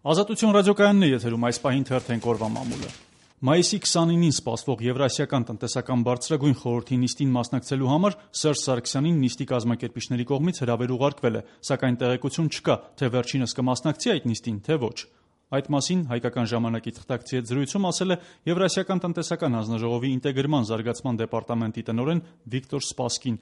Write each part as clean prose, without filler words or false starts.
Ազատություն ռադիոկայանն է եթերում, այս պահին թերթենք օրվա մամուլը։ Մայիսի 29-ին սպասվող Եվրասիական տնտեսական բարձրագույն խորհրդի նիստին մասնակցելու համար Սերժ Սարգսյանին նիստի կազմակերպիչների կողմից հրավեր ուղարկվել է, սակայն տեղեկություն չկա, թե վերջինս կմասնակցի այդ նիստին, թե ոչ։ Այդ մասին հայկական ժամանակի թղթակցի հետ զրույցում ասել է Եվրասիական տնտեսական հանձնաժողովի ինտեգրման զարգացման դեպարտամենտի տնօրեն Վիկտոր Սպասկին։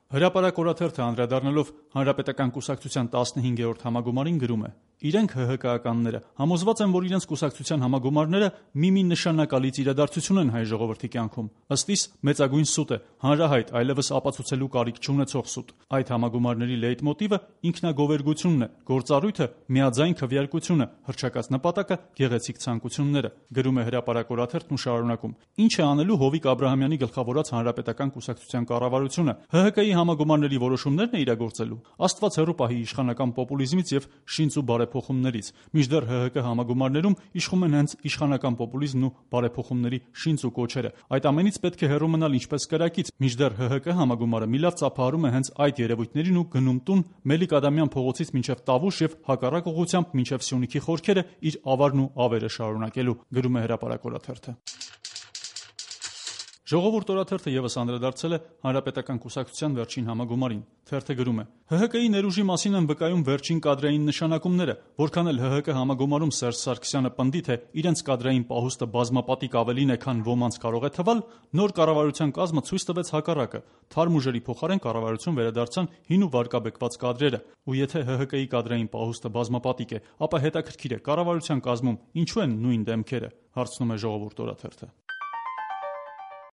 Հրապարակ օրաթերթը անդրադառնալով Հանրապետական կուսակցության 15-րդ համագումարին գրում է. «Իրենք ՀՀԿ-ականները համոզված են, որ իրենց կուսակցության համագումարները մի նշանակալից իրադարձություն են հայ ժողովրդի կյանքում։ Ըստ իս մեծագույն սուտ է, հանրահայտ, այլևս ապացուցելու կարիք չունեցող սուտ։ Այդ համագումարների լեյտմոտիվը ինքնագովերգությունն է, գործառույթը միաձայն քվեարկությունը, հռչակած նպատակը գեղեցիկ ցանկությունները», գրում է Հրապարակ օրաթերթն ու շարունակում. «Ինչ է անելու Հովիկ Աբրահամյանի գլխավորած Հանրապետական կուսակցության կառավարությունը, ՀՀԿ-ի համագումարների որոշումներն է իրագործելու։ Աստված հեռու պահի իշխանական պոպուլիզմից եւ շինծ ու բարեփոխումներից, մինչդեռ ՀՀԿ համագումարներում իշխում են հենց իշխանական պոպուլիզմն ու բարեփոխումների շինծ ու կոչերը։ Այդ ամենից պետք է հեռու մնալ ինչպես կրակից, մինչդեռ ՀՀԿ համագումարը մի լավ ծափահարում է հենց այդ երևույթներին ու գնում տուն Մելիք Ադամյան փողոցից մինչև Տավուշ եւ հակառակ ուղղությամբ մինչև Սյունիքի խորքերը իր ավարն ու ավերը շարունակելու», գրում է Հրապարակ օրաթերթը։ Ժողովուրդ օրաթերթը ևս անդրադարձել է Հանրապետական կուսակցության վերջին համագումարին։ Թերթը գրում է. «ՀՀԿ-ի ներուժի մասին են վկայում վերջին կադրային նշանակումները, որքան էլ ՀՀԿ համագումարում Սերժ Սարգսյանը պնդի, թե իրենց կադրային պահուստը բազմապատիկ ավելին է, քան ոմանց կարող է թվալ, նոր կառավարության կազմը ցույց տվեց հակառակը։ Թարմ ուժերի փոխարեն կառավարություն վերադարձան հին ու վարկաբեկված կադրերը։ Ու եթե ՀՀԿ-ի կադրային պահուստը բազմապատիկ է, ապա հետաքրքիր է, կառավարության կազմում ինչու են նույն դեմքերը», հարցնում է Ժողովուրդ օրաթերթը։